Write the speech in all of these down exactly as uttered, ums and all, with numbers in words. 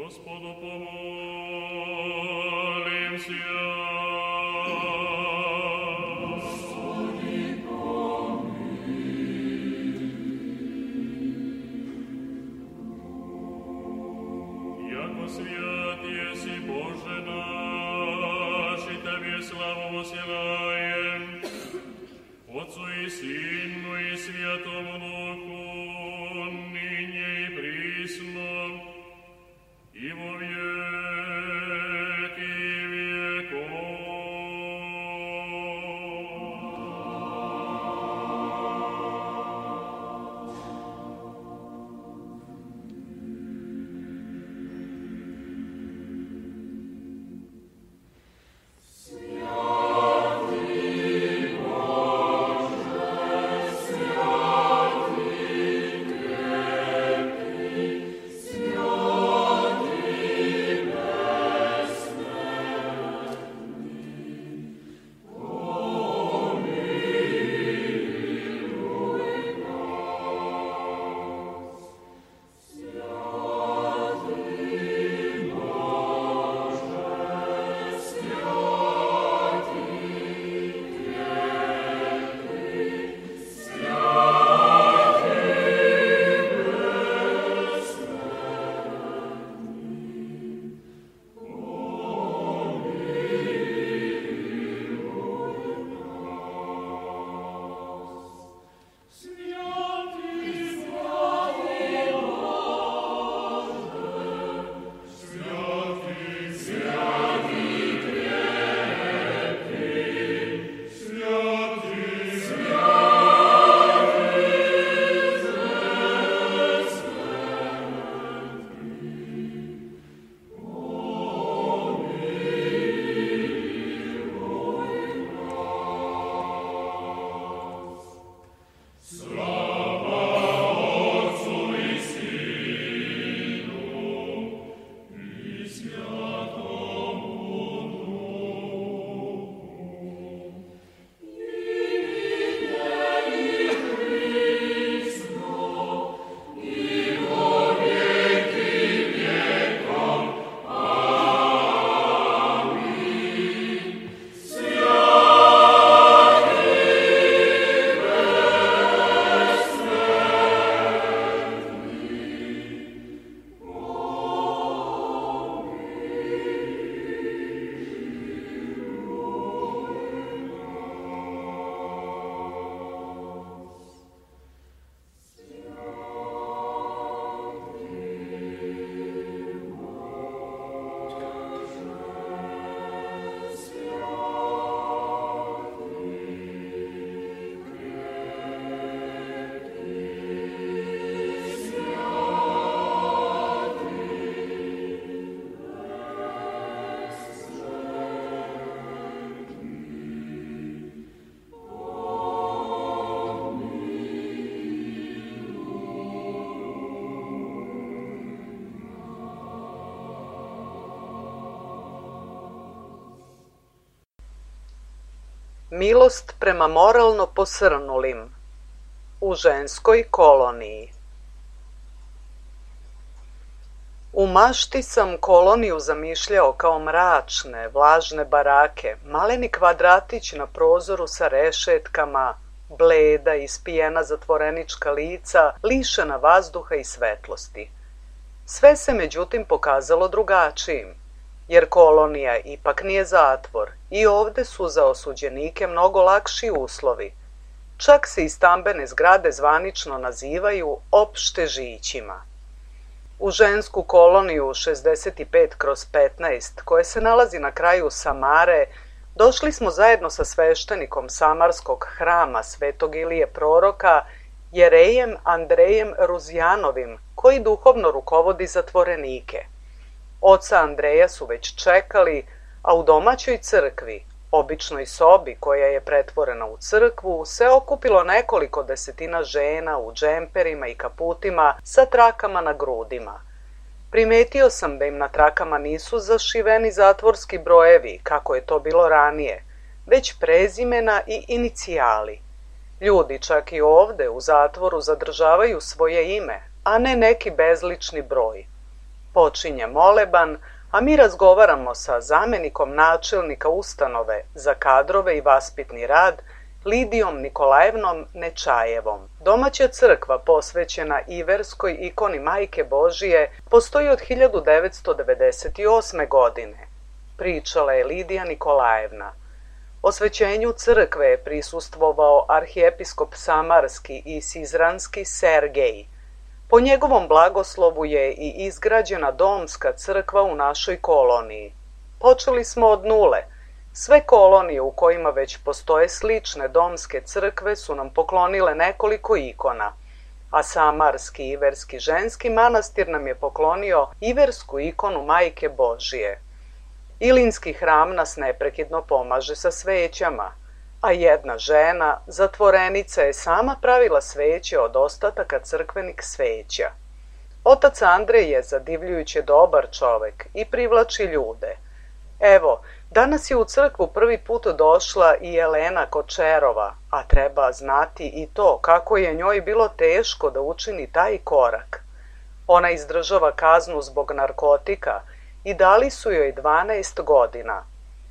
Gospodu pomolimся. Господи, помилуй. Яко свят еси, Боже наш, и Тебе славу воссылаем, Отцу и Сыну и Святому Духу, ныне и присно, и во веки веков. Milost prema moralno posrnulim u ženskoj koloniji. U mašti sam koloniju zamišljao kao mračne, vlažne barake, maleni kvadratić na prozoru sa rešetkama, bleda, ispijena zatvorenička lica, lišena vazduha i svetlosti. Sve se međutim pokazalo drugačijim, jer kolonija ipak nije zatvor i ovde su za osuđenike mnogo lakši uslovi. Čak se i stambene zgrade zvanično nazivaju opštežićima. U žensku koloniju šezdeset pet kroz petnaest, koje se nalazi na kraju Samare, došli smo zajedno sa sveštenikom Samarskog hrama Svetog Ilije Proroka, jerejem Andrejem Ruzjanovim, koji duhovno rukovodi zatvorenike. Oca Andreja su već čekali, a u domaćoj crkvi, običnoj sobi koja je pretvorena u crkvu, se okupilo nekoliko desetina žena u džemperima i kaputima sa trakama na grudima. Primetio sam da im na trakama nisu zašiveni zatvorski brojevi, kako je to bilo ranije, već prezimena i inicijali. Ljudi čak i ovde u zatvoru zadržavaju svoje ime, a ne neki bezlični broj. Počinje moleban, a mi razgovaramo sa zamjenikom načelnika ustanove za kadrove i vaspitni rad, Lidijom Nikolajevnom Nečajevom. Domaća crkva posvećena iverskoj ikoni Majke Božije postoji od hiljadu devetsto devedeset osme. godine. Pričala je Lidija Nikolajevna. Osvećenju crkve je prisustvovao arhijepiskop Samarski i Sizranski Sergej. Po njegovom blagoslovu je i izgrađena domska crkva u našoj koloniji. Počeli smo od nule. Sve kolonije u kojima već postoje slične domske crkve su nam poklonile nekoliko ikona, a Samarski iverski ženski manastir nam je poklonio iversku ikonu Majke Božije. Ilinski hram nas neprekidno pomaže sa svećama, a jedna žena, zatvorenica, je sama pravila sveće od ostataka crkvenih sveća. Otac Andrej je zadivljujuće dobar čovek i privlači ljude. Evo, danas je u crkvu prvi put došla i Jelena Kočerova, a treba znati i to kako je njoj bilo teško da učini taj korak. Ona izdržava kaznu zbog narkotika i dali su joj dvanaest godina.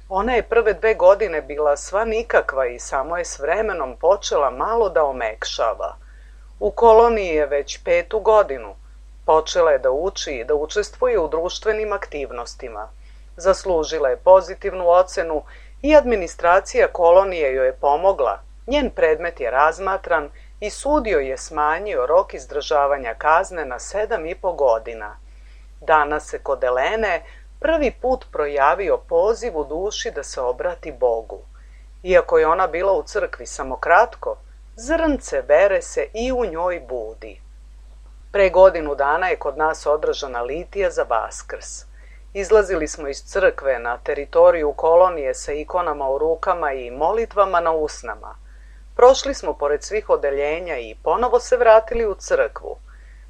Ona je prve dve godine bila sva nikakva i samo je s vremenom počela malo da omekšava. U koloniji je već petu godinu. Počela je da uči i da učestvuje u društvenim aktivnostima. Zaslužila je pozitivnu ocenu i administracija kolonije joj je pomogla. Njen predmet je razmatran i sud joj je smanjio rok izdržavanja kazne na sedam i po godina. Danas se kod Elene prvi put projavio poziv u duši da se obrati Bogu. Iako je ona bila u crkvi samo kratko, zrnce vere se i u njoj budi. Pre godinu dana je kod nas održana litija za Vaskrs. Izlazili smo iz crkve na teritoriju kolonije sa ikonama u rukama i molitvama na usnama. Prošli smo pored svih odeljenja i ponovo se vratili u crkvu.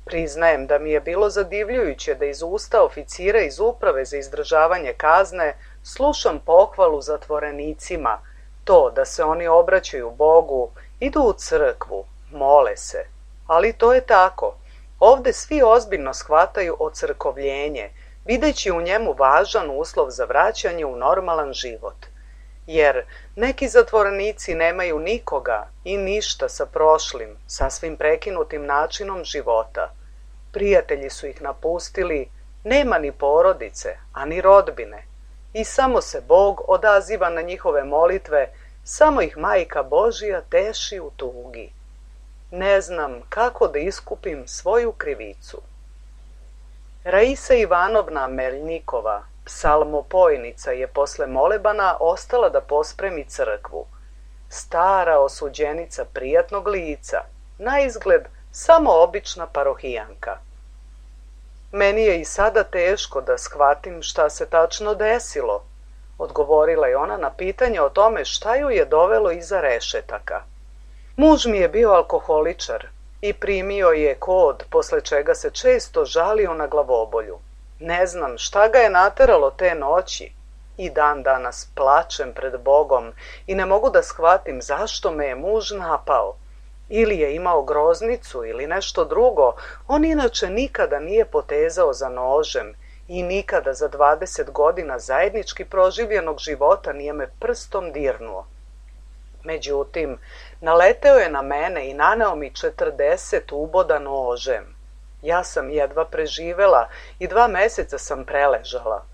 Priznajem da mi je bilo zadivljujuće da iz usta oficira iz uprave za izdržavanje kazne slušam pohvalu zatvorenicima, to da se oni obraćaju Bogu, idu u crkvu, mole se. Ali to je tako. Ovde svi ozbiljno shvataju ocrkovljenje, videći u njemu važan uslov za vraćanje u normalan život. Jer neki zatvorenici nemaju nikoga i ništa sa prošlim, sasvim prekinutim načinom života. Prijatelji su ih napustili, nema ni porodice, a ni rodbine. I samo se Bog odaziva na njihove molitve, samo ih Majka Božija teši u tugi. Ne znam kako da iskupim svoju krivicu. Raisa Ivanovna Meljnikova, psalmopojnica, je posle molebana ostala da pospremi crkvu. Stara osuđenica prijatnog lica, naizgled samo obična parohijanka. Meni je i sada teško da shvatim šta se tačno desilo, odgovorila je ona na pitanje o tome šta ju je dovelo iza rešetaka. Muž mi je bio alkoholičar i primio je kod, posle čega se često žalio na glavobolju. Ne znam šta ga je nateralo te noći. I dan danas plačem pred Bogom i ne mogu da shvatim zašto me je muž napao. Ili je imao groznicu ili nešto drugo, on inače nikada nije potezao za nožem i nikada za dvadeset godina zajednički proživljenog života nije me prstom dirnuo. Međutim, naleteo je na mene i naneo mi četrdeset uboda nožem. Ja sam jedva preživela i dva meseca sam preležala.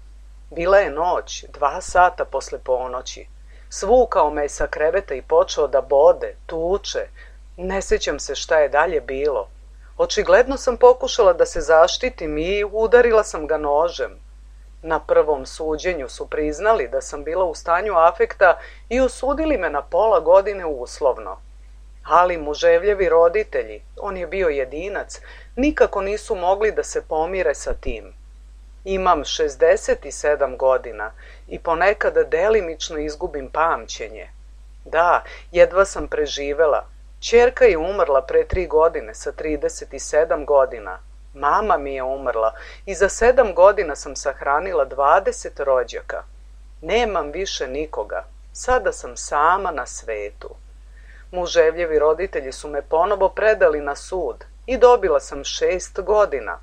Bila je noć, dva sata posle ponoći. Svukao me sa kreveta i počeo da bode, tuče. Ne sjećam se šta je dalje bilo. Očigledno sam pokušala da se zaštitim i udarila sam ga nožem. Na prvom suđenju su priznali da sam bila u stanju afekta i osudili me na pola godine uslovno. Ali muževljevi roditelji, on je bio jedinac, nikako nisu mogli da se pomire sa tim. Imam šezdeset sedam godina i ponekad delimično izgubim pamćenje. Da, jedva sam preživela. Ćerka je umrla pre tri godine sa trideset sedam godina. Mama mi je umrla i za sedam godina sam sahranila dvadeset rođaka. Nemam više nikoga. Sada sam sama na svetu. Muževljevi roditelji su me ponovo predali na sud i dobila sam šest godina.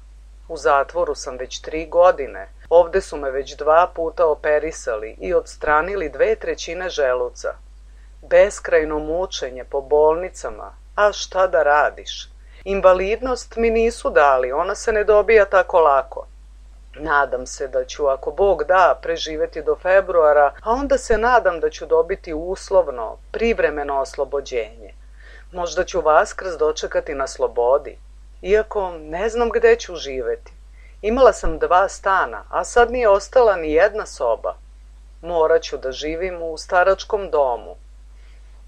U zatvoru sam već tri godine. Ovde su me već dva puta operisali i odstranili dve trećine želuca. Beskrajno mučenje po bolnicama, a šta da radiš? Invalidnost mi nisu dali, ona se ne dobija tako lako. Nadam se da ću, ako Bog da, preživeti do februara, a onda se nadam da ću dobiti uslovno, privremeno oslobođenje. Možda ću Vaskrs dočekati na slobodi, iako ne znam gde ću živeti. Imala sam dva stana, a sad nije ostala ni jedna soba. Morat ću da živim u staračkom domu.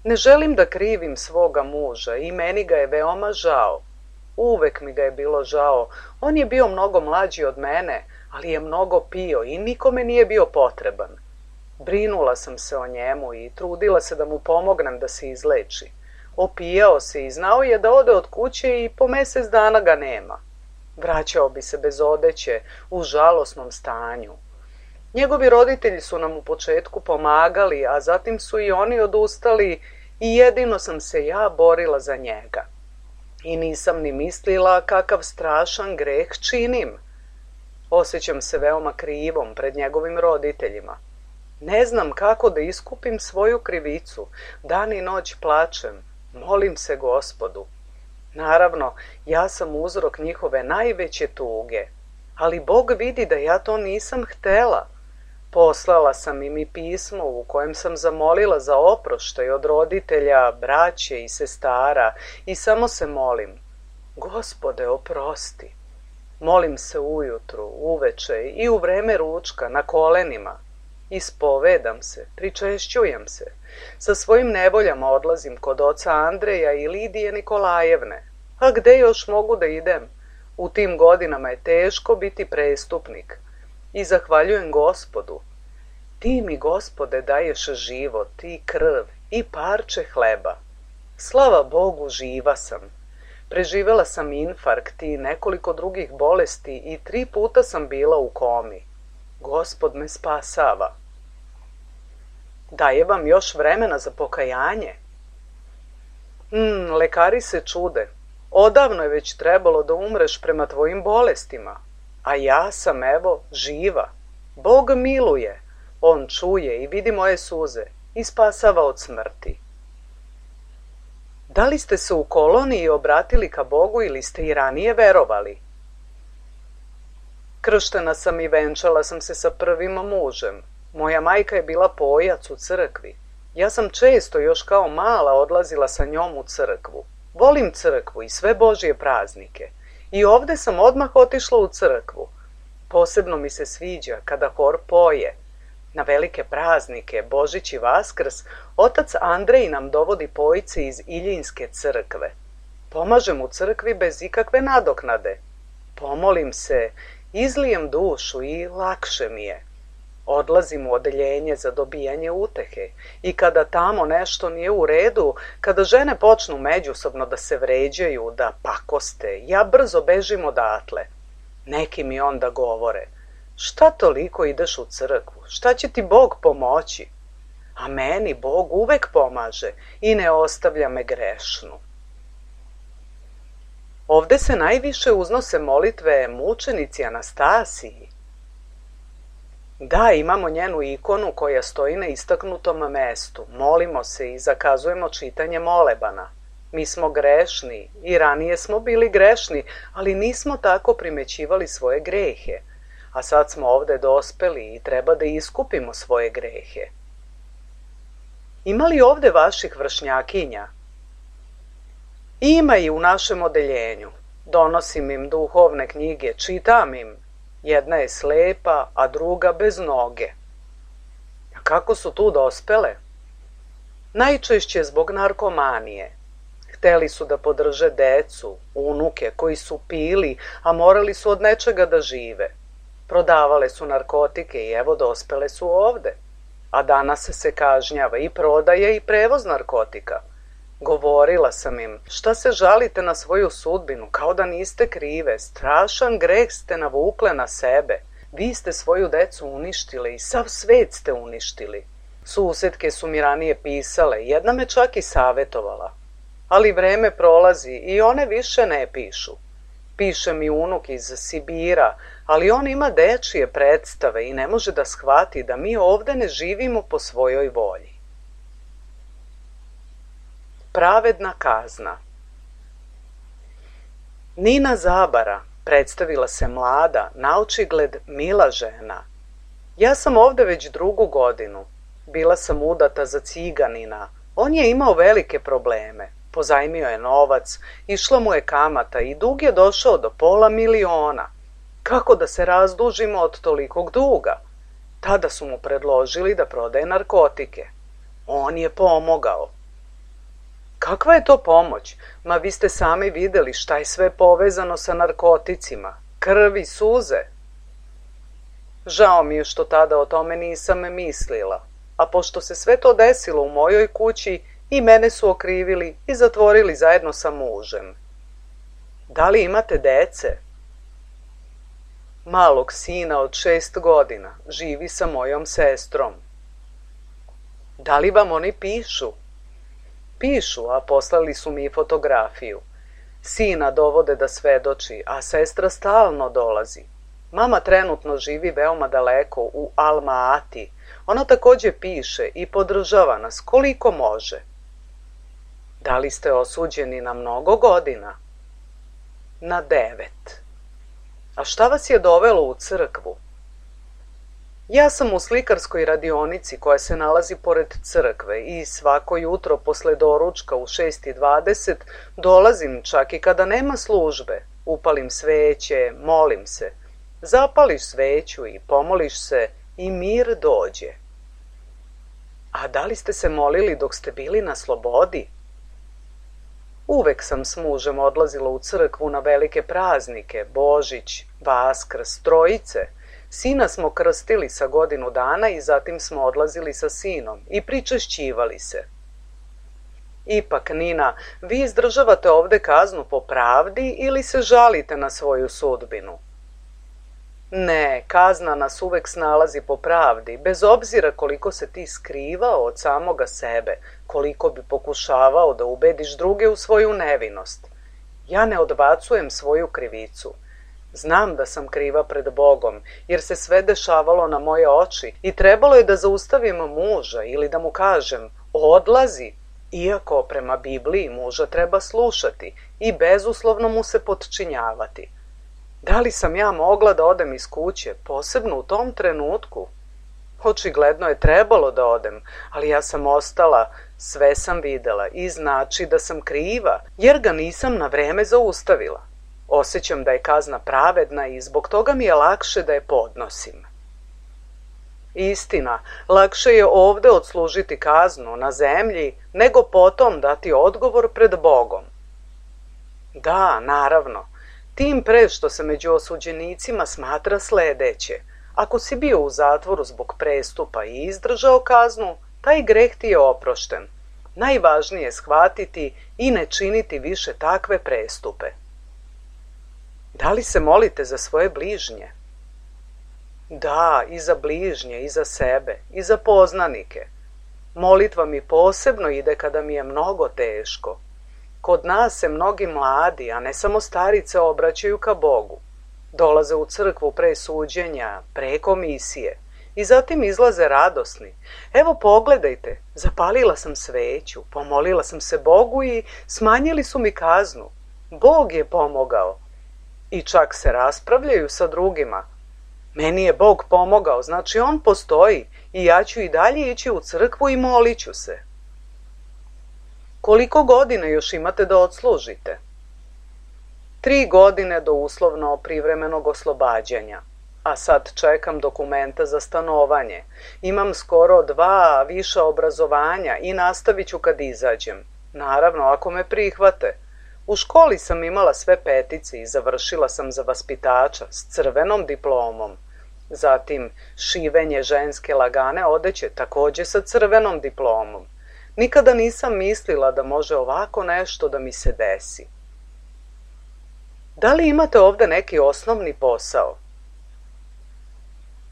Ne želim da krivim svoga muža i meni ga je veoma žao. Uvek mi ga je bilo žao. On je bio mnogo mlađi od mene, ali je mnogo pio i nikome nije bio potreban. Brinula sam se o njemu i trudila se da mu pomognem da se izleči. Opijao se i znao je da ode od kuće i po mesec dana ga nema. Vraćao bi se bez odeće, u žalosnom stanju. Njegovi roditelji su nam u početku pomagali, a zatim su i oni odustali i jedino sam se ja borila za njega. I nisam ni mislila kakav strašan greh činim. Osjećam se veoma krivom pred njegovim roditeljima. Ne znam kako da iskupim svoju krivicu. Dan i noć plačem. Molim se Gospodu. Naravno, ja sam uzrok njihove najveće tuge. Ali Bog vidi da ja to nisam htela. Poslala sam im i pismo u kojem sam zamolila za oproštaj od roditelja, braće i sestara i samo se molim. Gospode, oprosti. Molim se ujutru, uveče i u vreme ručka, na kolenima. Ispovedam se, pričešćujem se. Sa svojim nevoljama odlazim kod oca Andreja i Lidije Nikolajevne. A gde još mogu da idem? U tim godinama je teško biti prestupnik. I zahvaljujem Gospodu. Ti mi, Gospode, daješ život i krv i parče hleba. Slava Bogu, živa sam. Preživela sam infarkt i nekoliko drugih bolesti i tri puta sam bila u komi. Gospod me spasava. Daje vam još vremena za pokajanje? Hmm, lekari se čude. Odavno je već trebalo da umreš prema tvojim bolestima. A ja sam, evo, živa. Bog miluje. On čuje i vidi moje suze i spasava od smrti. Da li ste se u koloniji obratili ka Bogu ili ste i ranije verovali? Krštena sam i venčala sam se sa prvim mužem. Moja majka je bila pojac u crkvi. Ja sam često još kao mala odlazila sa njom u crkvu. Volim crkvu i sve Božje praznike. I ovde sam odmah otišla u crkvu. Posebno mi se sviđa kada hor poje. Na velike praznike, Božić i Vaskrs, otac Andrej nam dovodi pojice iz Iljinske crkve. Pomažem u crkvi bez ikakve nadoknade. Pomolim se, izlijem dušu i lakše mi je. Odlazim u odeljenje za dobijanje utehe i kada tamo nešto nije u redu, kada žene počnu međusobno da se vređaju, da pakoste, ja brzo bežim odatle. Neki mi onda govore, šta toliko ideš u crkvu, šta će ti Bog pomoći? A meni Bog uvek pomaže i ne ostavlja me grešnu. Ovde se najviše uznose molitve mučenici Anastasiji. Da, imamo njenu ikonu koja stoji na istaknutom mestu. Molimo se i zakazujemo čitanje molebana. Mi smo grešni i ranije smo bili grešni, ali nismo tako primećivali svoje grehe. A sad smo ovde dospeli i treba da iskupimo svoje grehe. Ima li ovde vaših vršnjakinja? Ima i u našem odeljenju. Donosim im duhovne knjige, čitam im. Jedna je slepa, a druga bez noge. A kako su tu dospele? Najčešće zbog narkomanije. Hteli su da podrže decu, unuke koji su pili, a morali su od nečega da žive. Prodavale su narkotike i evo dospele su ovde. A danas se kažnjava i prodaje i prevoz narkotika. Govorila sam im, šta se žalite na svoju sudbinu, kao da niste krive, strašan greh ste navukle na sebe. Vi ste svoju decu uništili i sav svet ste uništili. Susetke su mi ranije pisale, jedna me čak i savjetovala. Ali vreme prolazi i one više ne pišu. Piše mi unuk iz Sibira, ali on ima dečije predstave i ne može da shvati da mi ovde ne živimo po svojoj volji. Pravedna kazna. Nina Zabara predstavila se mlada, naočigled mila žena. Ja sam ovde već drugu godinu. Bila sam udata za ciganina. On je imao velike probleme. Pozajmio je novac, išla mu je kamata i dug je došao do pola miliona. Kako da se razdužimo od tolikog duga? Tada su mu predložili da prodaje narkotike. On je pomogao. Kakva je to pomoć? Ma vi ste sami videli šta je sve povezano sa narkoticima. Krv i suze. Žao mi je što tada o tome nisam mislila. A pošto se sve to desilo u mojoj kući, i mene su okrivili i zatvorili zajedno sa mužem. Da li imate dece? Malog sina od šest godina živi sa mojom sestrom. Da li vam oni pišu? Pišu, a poslali su mi fotografiju. Sina dovode da svedoči, a sestra stalno dolazi. Mama trenutno živi veoma daleko u Alma-Ati. Ona takođe piše i podržava nas koliko može. Da li ste osuđeni na mnogo godina? Na devet. A šta vas je dovelo u crkvu? Ja sam u slikarskoj radionici koja se nalazi pored crkve i svako jutro posle doručka u šest i dvadeset dolazim čak i kada nema službe. Upalim sveće, molim se. Zapališ sveću i pomoliš se i mir dođe. A da li ste se molili dok ste bili na slobodi? Uvek sam s mužem odlazila u crkvu na velike praznike, Božić, Vaskrs, Trojice. Sina smo krstili sa godinu dana i zatim smo odlazili sa sinom i pričešćivali se. Ipak, Nina, vi izdržavate ovde kaznu po pravdi ili se žalite na svoju sudbinu? Ne, kazna nas uvek snalazi po pravdi, bez obzira koliko se ti skrivao od samoga sebe, koliko bi pokušavao da ubediš druge u svoju nevinost. Ja ne odbacujem svoju krivicu. Znam da sam kriva pred Bogom, jer se sve dešavalo na moje oči i trebalo je da zaustavim muža ili da mu kažem odlazi, iako prema Bibliji muža treba slušati i bezuslovno mu se potčinjavati. Da li sam ja mogla da odem iz kuće, posebno u tom trenutku? Očigledno je trebalo da odem, ali ja sam ostala, sve sam videla i znači da sam kriva, jer ga nisam na vreme zaustavila. Osjećam da je kazna pravedna i zbog toga mi je lakše da je podnosim. Istina, lakše je ovde odslužiti kaznu na zemlji, nego potom dati odgovor pred Bogom. Da, naravno. Tim pre što se među osuđenicima smatra sledeće. Ako si bio u zatvoru zbog prestupa i izdržao kaznu, taj greh ti je oprošten. Najvažnije je shvatiti i ne činiti više takve prestupe. Da li se molite za svoje bližnje? Da, i za bližnje, i za sebe, i za poznanike. Molitva mi posebno ide kada mi je mnogo teško. Kod nas se mnogi mladi, a ne samo starice, obraćaju ka Bogu. Dolaze u crkvu pre suđenja, pre komisije i zatim izlaze radosni. Evo pogledajte, zapalila sam sveću, pomolila sam se Bogu i smanjili su mi kaznu. Bog je pomogao. I čak se raspravljaju sa drugima. Meni je Bog pomogao, znači on postoji i ja ću i dalje ići u crkvu i molit ću se. Koliko godina još imate da odslužite? Tri godine do uslovno privremenog oslobađanja, a sad čekam dokumenta za stanovanje. Imam skoro dva viša obrazovanja i nastavit ću kad izađem. Naravno, ako me prihvate. U školi sam imala sve petice i završila sam za vaspitača s crvenom diplomom. Zatim šivenje ženske lagane odeće takođe sa crvenom diplomom. Nikada nisam mislila da može ovako nešto da mi se desi. Da li imate ovde neki osnovni posao?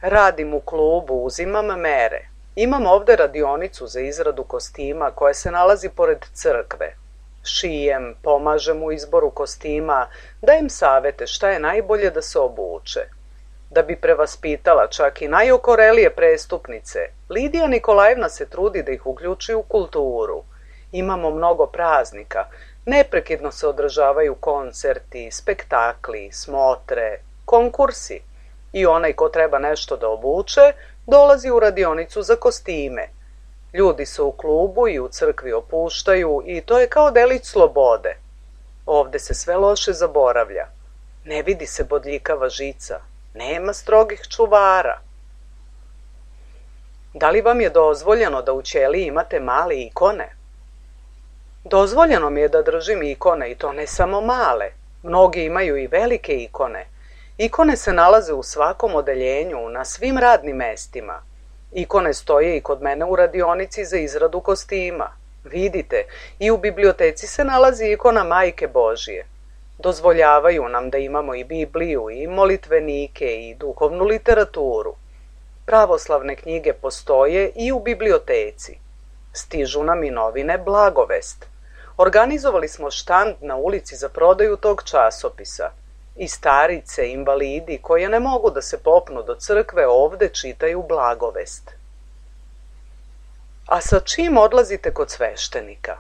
Radim u klubu, uzimam mere. Imam ovde radionicu za izradu kostima koja se nalazi pored crkve. Šijem, pomažem u izboru kostima, dajem savete šta je najbolje da se obuče. Da bi prevaspitala čak i najokorelije prestupnice, Lidija Nikolajevna se trudi da ih uključi u kulturu. Imamo mnogo praznika, neprekidno se održavaju koncerti, spektakli, smotre, konkursi. I onaj ko treba nešto da obuče, dolazi u radionicu za kostime. Ljudi se u klubu i u crkvi opuštaju i to je kao delić slobode. Ovde se sve loše zaboravlja. Ne vidi se bodljikava žica. Nema strogih čuvara. Da li vam je dozvoljeno da u ćeliji imate male ikone? Dozvoljeno mi je da držim ikone i to ne samo male. Mnogi imaju i velike ikone. Ikone se nalaze u svakom odeljenju, na svim radnim mestima. Ikone stoje i kod mene u radionici za izradu kostima. Vidite, i u biblioteci se nalazi ikona Majke Božije. Dozvoljavaju nam da imamo i Bibliju, i molitvenike, i duhovnu literaturu. Pravoslavne knjige postoje i u biblioteci. Stižu nam i novine Blagovest. Organizovali smo štand na ulici za prodaju tog časopisa. I starice, invalidi, koje ne mogu da se popnu do crkve, ovde čitaju Blagovest. A sa čim odlazite kod sveštenika?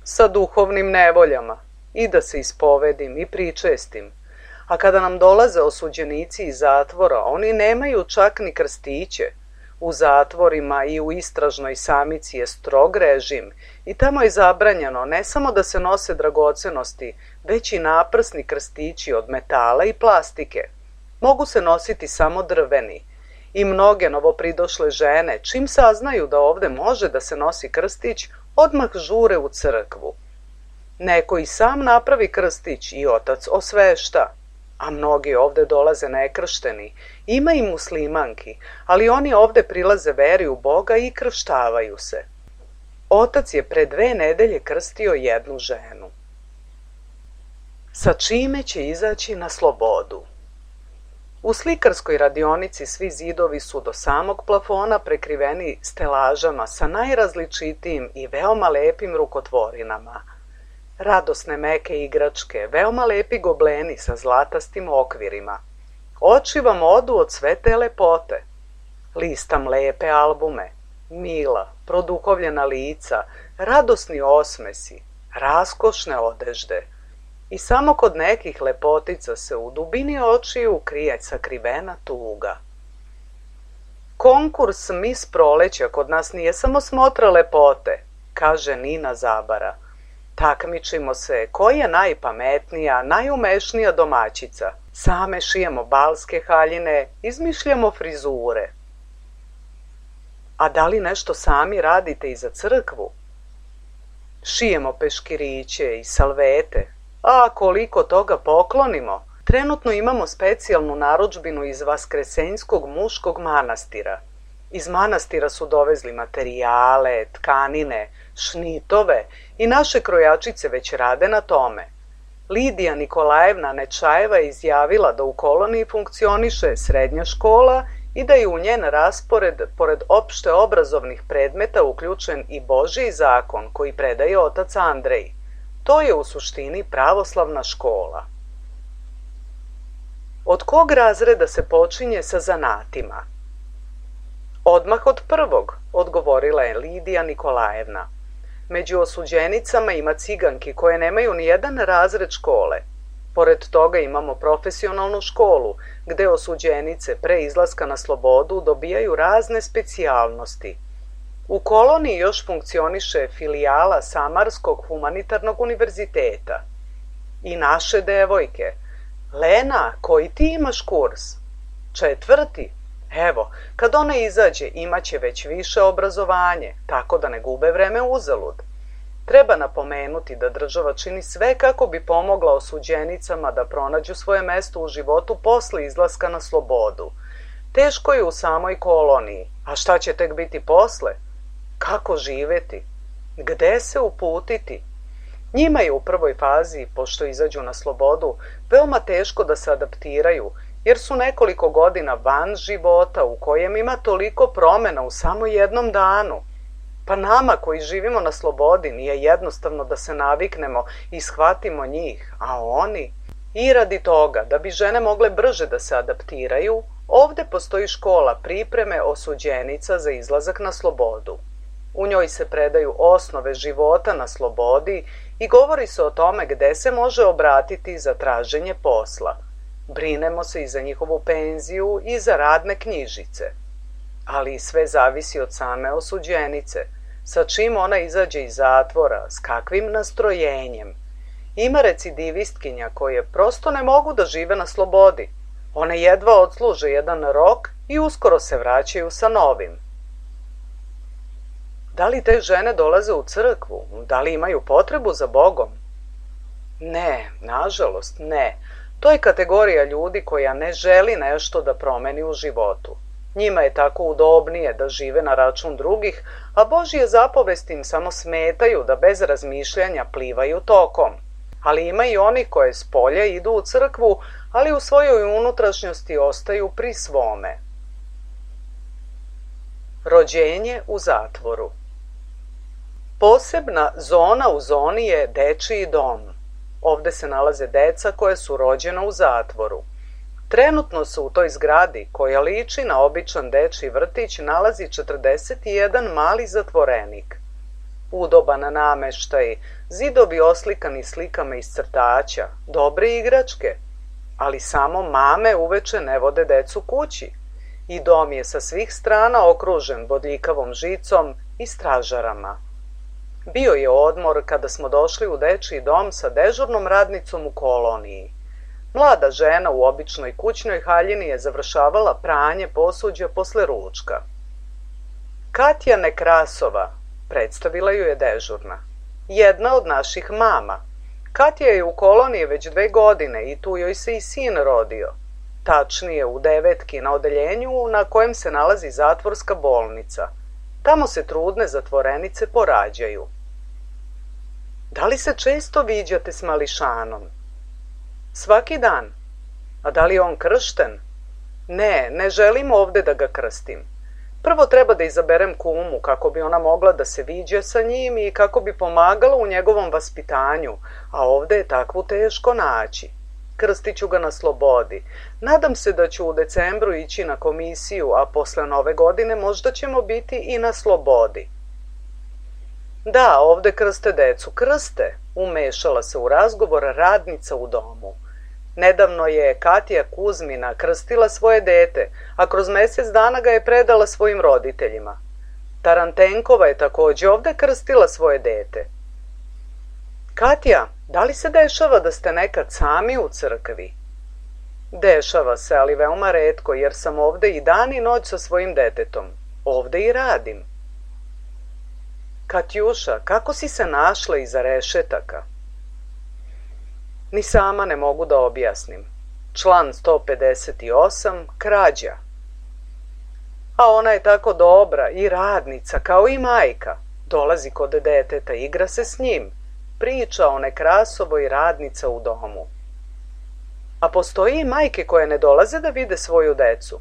Sa duhovnim nevoljama, i da se ispovedim i pričestim. A kada nam dolaze osuđenici iz zatvora, oni nemaju čak ni krstiće. U zatvorima i u istražnoj samici je strog režim i tamo je zabranjeno ne samo da se nose dragocenosti, već i naprsni krstići od metala i plastike. Mogu se nositi samo drveni i mnoge novopridošle žene, čim saznaju da ovde može da se nosi krstić, odmah žure u crkvu. Neko i sam napravi krstić i otac osvešta. A mnogi ovde dolaze nekršteni, ima i muslimanki, ali oni ovde prilaze veri u Boga i krštavaju se. Otac je pre dve nedelje krstio jednu ženu. Sa čime će izaći na slobodu? U slikarskoj radionici svi zidovi su do samog plafona prekriveni stelažama sa najrazličitijim i veoma lepim rukotvorinama. Radosne meke igračke, veoma lepi gobleni sa zlatastim okvirima. Oči vam odu od sve te lepote. Listam lepe albume, mila, produhovljena lica, radosni osmesi, raskošne odežde. I samo kod nekih lepotica se u dubini očiju krije sakrivena tuga. Konkurs Mis proleća kod nas nije samo smotra lepote, kaže Nina Zabara. Takmičimo se ko je najpametnija, najumešnija domaćica. Same šijemo balske haljine, izmišljamo frizure. A da li nešto sami radite i za crkvu? Šijemo peškiriće i salvete. A koliko toga poklonimo? Trenutno imamo specijalnu narudžbinu iz Vaskresenjskog muškog manastira. Iz manastira su dovezli materijale, tkanine, šnitove i naše krojačice već rade na tome. Lidija Nikolajevna Nečajeva je izjavila da u koloniji funkcioniše srednja škola i da je u njen raspored, pored opšte obrazovnih predmeta, uključen i Božji zakon koji predaje otac Andrej. To je u suštini pravoslavna škola. Od kog razreda se počinje sa zanatima? Odmah od prvog, odgovorila je Lidija Nikolajevna. Među osuđenicama ima ciganki koje nemaju ni jedan razred škole. Pored toga imamo profesionalnu školu, gde osuđenice pre izlaska na slobodu dobijaju razne specijalnosti. U koloniji još funkcioniše filijala Samarskog humanitarnog univerziteta. I naše devojke. Lena, koji ti imaš kurs? Četvrti. Evo, kad ona izađe, imaće već više obrazovanje, tako da ne gube vreme uzalud. Treba napomenuti da država čini sve kako bi pomogla osuđenicama da pronađu svoje mesto u životu posle izlaska na slobodu. Teško je u samoj koloniji, a šta će tek biti posle? Kako živeti? Gde se uputiti? Njima je u prvoj fazi, pošto izađu na slobodu, veoma teško da se adaptiraju, jer su nekoliko godina van života u kojem ima toliko promena u samo jednom danu. Pa nama koji živimo na slobodi nije jednostavno da se naviknemo i shvatimo njih, a oni... I radi toga, da bi žene mogle brže da se adaptiraju, ovde postoji škola pripreme osuđenica za izlazak na slobodu. U njoj se predaju osnove života na slobodi i govori se o tome gde se može obratiti za traženje posla. Brinemo se i za njihovu penziju i za radne knjižice. Ali sve zavisi od same osuđenice, sa čim ona izađe iz zatvora, s kakvim nastrojenjem. Ima recidivistkinja koje prosto ne mogu da žive na slobodi. One jedva odsluže jedan rok i uskoro se vraćaju sa novim. Da li te žene dolaze u crkvu? Da li imaju potrebu za Bogom? Ne, nažalost ne. To je kategorija ljudi koja ne želi nešto da promeni u životu. Njima je tako udobnije da žive na račun drugih, a Božje zapovesti im samo smetaju da bez razmišljanja plivaju tokom. Ali ima i oni koje s polja idu u crkvu, ali u svojoj unutrašnjosti ostaju pri svome. Rođenje u zatvoru. Posebna zona u zoni je dečiji dom. Ovde se nalaze deca koja su rođena u zatvoru. Trenutno se u toj zgradi, koja liči na običan dečiji vrtić, nalazi četrdeset jedan mali zatvorenik. Udoban nameštaj, zidovi oslikani slikama iz crtaća, dobre igračke, ali samo mame uveče ne vode decu kući i dom je sa svih strana okružen bodljikavom žicom i stražarama. Bio je odmor kada smo došli u dečiji dom sa dežurnom radnicom u koloniji. Mlada žena u običnoj kućnoj haljini je završavala pranje posuđa posle ručka. Katja Nekrasova, predstavila ju je dežurna. Jedna od naših mama. Katja je u koloniji već dve godine i tu joj se i sin rodio. Tačnije u Devetki na odeljenju na kojem se nalazi zatvorska bolnica. Tamo se trudne zatvorenice porađaju. Da li se često viđate s mališanom? Svaki dan. A da li je on kršten? Ne, ne želim ovde da ga krstim. Prvo treba da izaberem kumu kako bi ona mogla da se viđe sa njim i kako bi pomagala u njegovom vaspitanju, a ovde je takvu teško naći. Krstit ću ga na slobodi. Nadam se da ću u decembru ići na komisiju, a posle nove godine možda ćemo biti i na slobodi. Da, ovde krste decu, krste, umešala se u razgovor radnica u domu. Nedavno je Katja Kuzmina krstila svoje dete, a kroz mesec dana ga je predala svojim roditeljima. Tarantenkova je takođe ovde krstila svoje dete. Katja, da li se dešava da ste nekad sami u crkvi? Dešava se, ali veoma retko, jer sam ovde i dan i noć sa svojim detetom. Ovde i radim. Katjuša, kako si se našla iza rešetaka? Ni sama ne mogu da objasnim. Član sto pedeset osam, krađa. A ona je tako dobra i radnica, kao i majka. Dolazi kod deteta, igra se s njim. Priča o Nekrasovoj radnica u domu. A postoji i majke koje ne dolaze da vide svoju decu.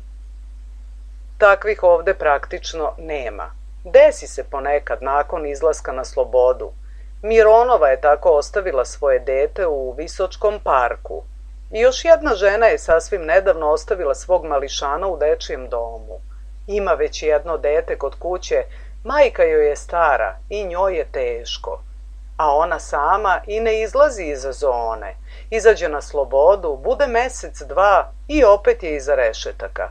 Takvih ovde praktično nema. Desi se ponekad nakon izlaska na slobodu. Mironova je tako ostavila svoje dete u Visočkom parku. I još jedna žena je sasvim nedavno ostavila svog mališana u dečijem domu. Ima već jedno dete kod kuće, majka joj je stara i njoj je teško. A ona sama i ne izlazi iz zone. Izađe na slobodu, bude mesec, dva i opet je iza rešetaka.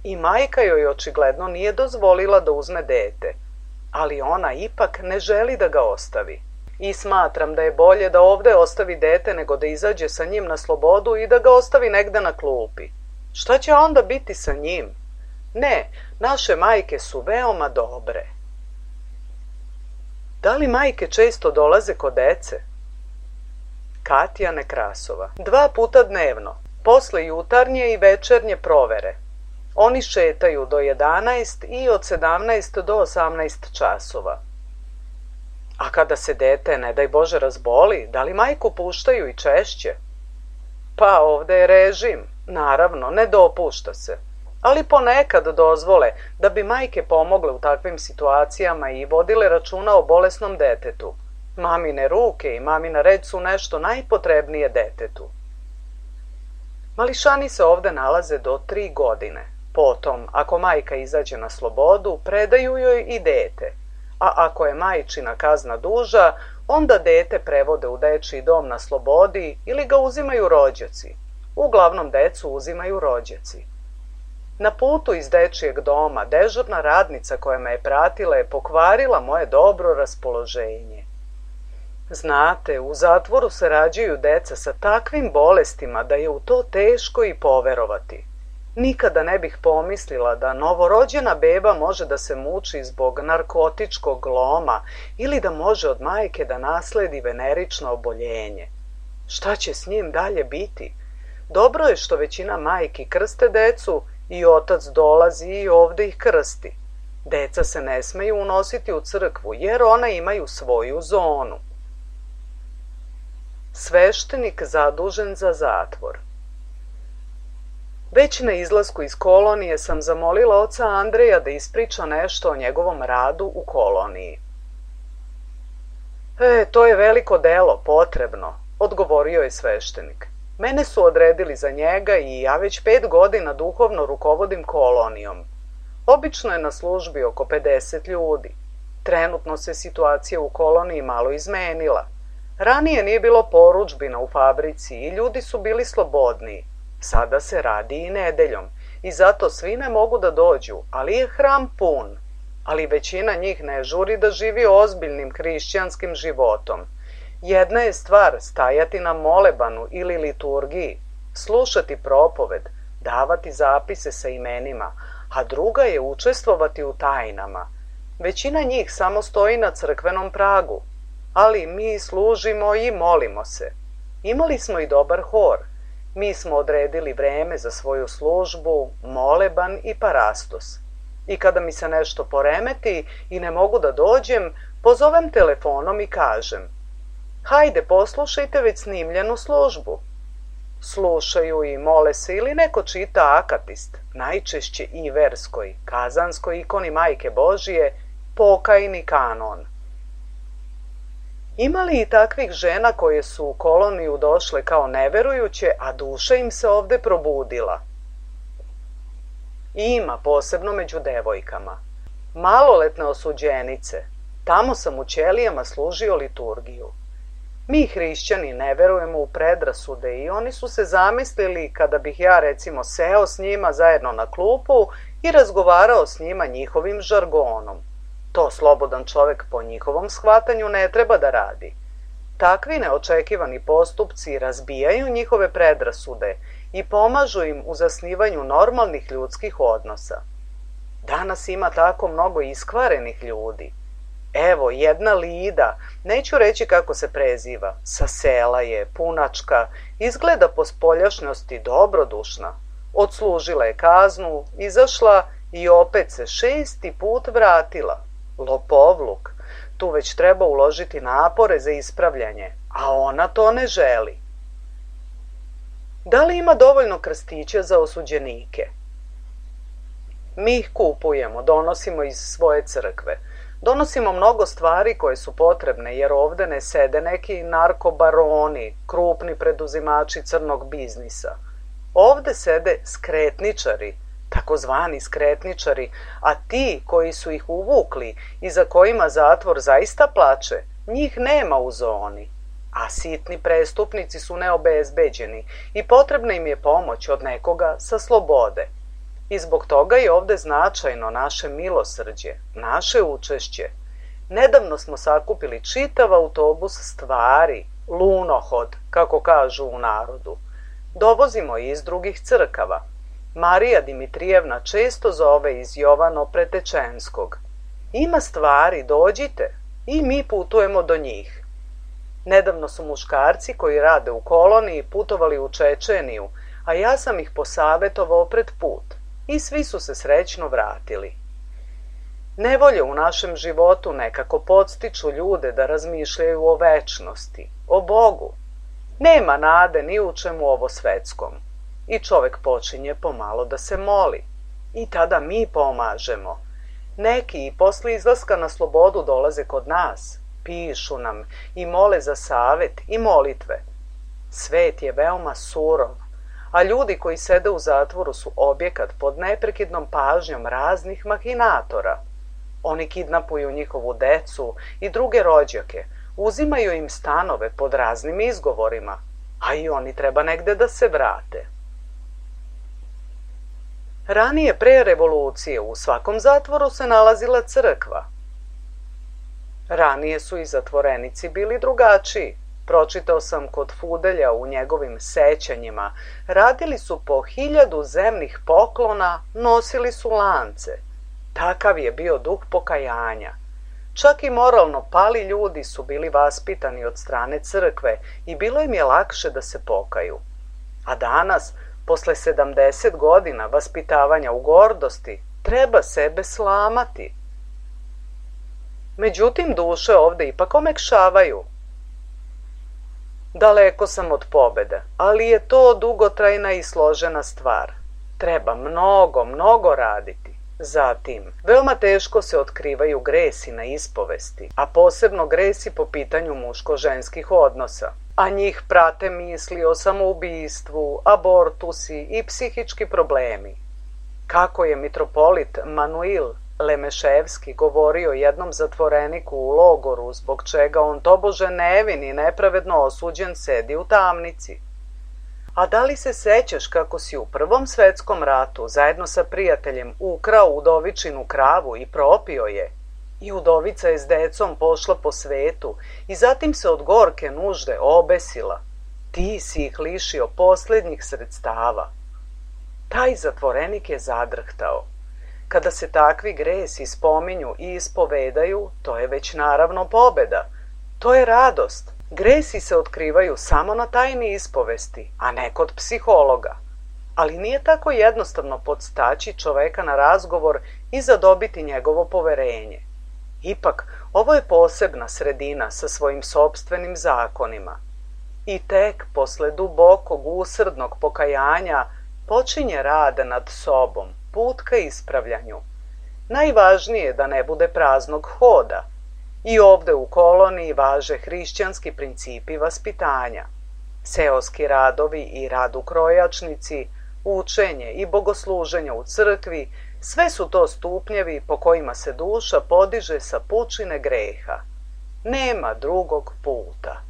I majka joj očigledno nije dozvolila da uzme dete, ali ona ipak ne želi da ga ostavi. I smatram da je bolje da ovde ostavi dete nego da izađe sa njim na slobodu i da ga ostavi negde na klupi. Šta će onda biti sa njim? Ne, naše majke su veoma dobre. Da li majke često dolaze kod dece? Katja Nekrasova. Dva puta dnevno, posle jutarnje i večernje provere. Oni šetaju do jedanaest i od sedamnaest do osamnaest časova. A kada se dete, ne daj Bože, razboli, da li majku puštaju i češće? Pa ovde je režim, naravno, ne dopušta se. ali ponekad dozvole da bi majke pomogle u takvim situacijama i vodile računa o bolesnom detetu. Mamine ruke i mamina reč su nešto najpotrebnije detetu. Mališani se ovde nalaze do tri godine. Potom, ako majka izađe na slobodu, predaju joj i dete. A ako je majčina kazna duža, onda dete prevode u dečiji dom na slobodi ili ga uzimaju rođaci. Uglavnom decu uzimaju rođaci. Na putu iz dečijeg doma dežurna radnica koja me je pratila je pokvarila moje dobro raspoloženje. Znate, u zatvoru se rađaju deca sa takvim bolestima da je u to teško i poverovati. Nikada ne bih pomislila da novorođena beba može da se muči zbog narkotičkog loma ili da može od majke da nasledi venerično oboljenje. Šta će s njim dalje biti? Dobro je što većina majki krste decu i otac dolazi i ovde ih krsti. Deca se ne smeju unositi u crkvu jer ona imaju svoju zonu. Sveštenik zadužen za zatvor. Već na izlasku iz kolonije sam zamolila oca Andreja da ispriča nešto o njegovom radu u koloniji. E, to je veliko delo, potrebno, odgovorio je sveštenik. Mene su odredili za njega i ja već pet godina duhovno rukovodim kolonijom. Obično je na službi oko pedeset ljudi. Trenutno se situacija u koloniji malo izmenila. Ranije nije bilo porudžbina u fabrici i ljudi su bili slobodniji. Sada se radi i nedeljom i zato svi ne mogu da dođu, ali je hram pun. Ali većina njih ne žuri da živi ozbiljnim hrišćanskim životom. Jedna je stvar stajati na molebanu ili liturgiji, slušati propoved, davati zapise sa imenima, a druga je učestvovati u tajnama. Većina njih samo stoji na crkvenom pragu, ali mi služimo i molimo se. Imali smo i dobar hor. Mi smo odredili vreme za svoju službu, moleban i parastos. I kada mi se nešto poremeti i ne mogu da dođem, pozovem telefonom i kažem: hajde, poslušajte već snimljenu službu. Slušaju i mole se ili neko čita akatist, najčešće i verskoj, kazanskoj ikoni Majke Božije, pokajni kanon. Ima li i takvih žena koje su u koloniju došle kao neverujuće, a duša im se ovde probudila? Ima, posebno među devojkama. Maloletne osuđenice. Tamo sam u ćelijama služio liturgiju. Mi hrišćani ne verujemo u predrasude i oni su se zamislili kada bih ja recimo seo s njima zajedno na klupu i razgovarao s njima njihovim žargonom. To slobodan čovek po njihovom shvatanju ne treba da radi. Takvi neočekivani postupci razbijaju njihove predrasude i pomažu im u zasnivanju normalnih ljudskih odnosa. Danas ima tako mnogo iskvarenih ljudi. Evo, jedna Lida, neću reći kako se preziva, sa sela je, punačka, izgleda po spoljašnjosti dobrodušna. Odslužila je kaznu, izašla i opet se šesti put vratila. Lopovluk, tu već treba uložiti napore za ispravljanje, a ona to ne želi. Da li ima dovoljno krstića za osuđenike? Mi ih kupujemo, donosimo iz svoje crkve. Donosimo mnogo stvari koje su potrebne, jer ovde ne sede neki narkobaroni, krupni preduzimači crnog biznisa. Ovde sede skretničari, takozvani skretničari, a ti koji su ih uvukli i za kojima zatvor zaista plače, njih nema u zoni. A sitni prestupnici su neobezbeđeni i potrebna im je pomoć od nekoga sa slobode. I zbog toga je ovde značajno naše milosrđe, naše učešće. Nedavno smo sakupili čitav autobus stvari, lunohod, kako kažu u narodu. Dovozimo iz drugih crkava. Marija Dimitrijevna često zove iz Jovano Pretečenskog. Ima stvari, dođite, i mi putujemo do njih. Nedavno su muškarci koji rade u koloniji putovali u Čečeniju, a ja sam ih posavetovao pred put. I svi su se srećno vratili. Nevolje u našem životu nekako podstiču ljude da razmišljaju o večnosti, o Bogu. Nema nade ni u čemu ovo svetskom. I čovek počinje pomalo da se moli. I tada mi pomažemo. Neki i posle izlaska na slobodu dolaze kod nas, pišu nam i mole za savet i molitve. Svet je veoma surov, a ljudi koji sede u zatvoru su objekat pod neprekidnom pažnjom raznih mahinatora. Oni kidnapuju njihovu decu i druge rođake, uzimaju im stanove pod raznim izgovorima, a i oni treba negde da se vrate. Ranije pre revolucije u svakom zatvoru se nalazila crkva. Ranije su i zatvorenici bili drugačiji. Pročitao sam kod Fudelja u njegovim sećanjima. Radili su po hiljadu zemnih poklona, nosili su lance. Takav je bio duh pokajanja. Čak i moralno pali ljudi su bili vaspitani od strane crkve i bilo im je lakše da se pokaju. A danas, posle sedamdeset godina vaspitavanja u gordosti, treba sebe slamati. Međutim, duše ovde ipak omekšavaju. Daleko sam od pobede, ali je to dugotrajna i složena stvar. Treba mnogo, mnogo raditi. Zatim, veoma teško se otkrivaju gresi na ispovesti, a posebno gresi po pitanju muško-ženskih odnosa. A njih prate misli o samoubistvu, abortusi i psihički problemi. Kako je mitropolit Manuil Lemeševski govorio jednom zatvoreniku u logoru zbog čega on tobože nevin i nepravedno osuđen sedi u tamnici. A da li se sećaš kako si u Prvom svetskom ratu zajedno sa prijateljem ukrao udovičinu kravu i propio je? I udovica je s decom pošla po svetu i zatim se od gorke nužde obesila. Ti si ih lišio poslednjih sredstava. Taj zatvorenik je zadrhtao. Kada se takvi gresi spominju i ispovedaju, to je već naravno pobeda. To je radost. Gresi se otkrivaju samo na tajni ispovesti, a ne kod psihologa. Ali nije tako jednostavno podstaći čoveka na razgovor i zadobiti njegovo poverenje. Ipak, ovo je posebna sredina sa svojim sopstvenim zakonima. I tek posle dubokog usrdnog pokajanja počinje rad nad sobom, put ka ispravljanju. Najvažnije je da ne bude praznog hoda. I ovde u koloniji važe hrišćanski principi vaspitanja. Seoski radovi i rad u krojačnici, učenje i bogosluženje u crkvi, sve su to stupnjevi po kojima se duša podiže sa pučine greha. Nema drugog puta.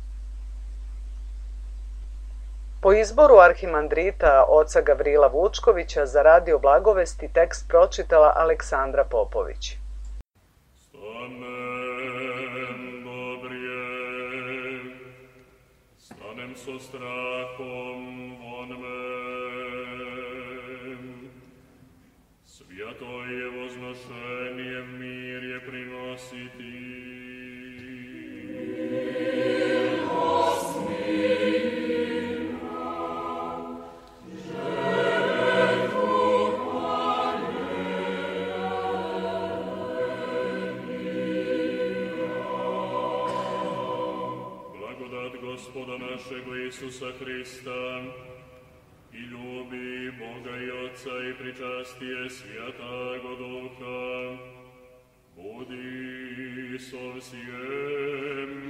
Po izboru arhimandrita oca Gavrila Vučkovića za Radio Blagovesti tekst pročitala Aleksandra Popović. Stanem dobrije, stanem so strahom von men. Svjato je voznošenje, mir je prinositi. Gospoda našego Isusa Hrista i ljubi Boga i Otca i pričastije Svjatago Duha, budi so vsjem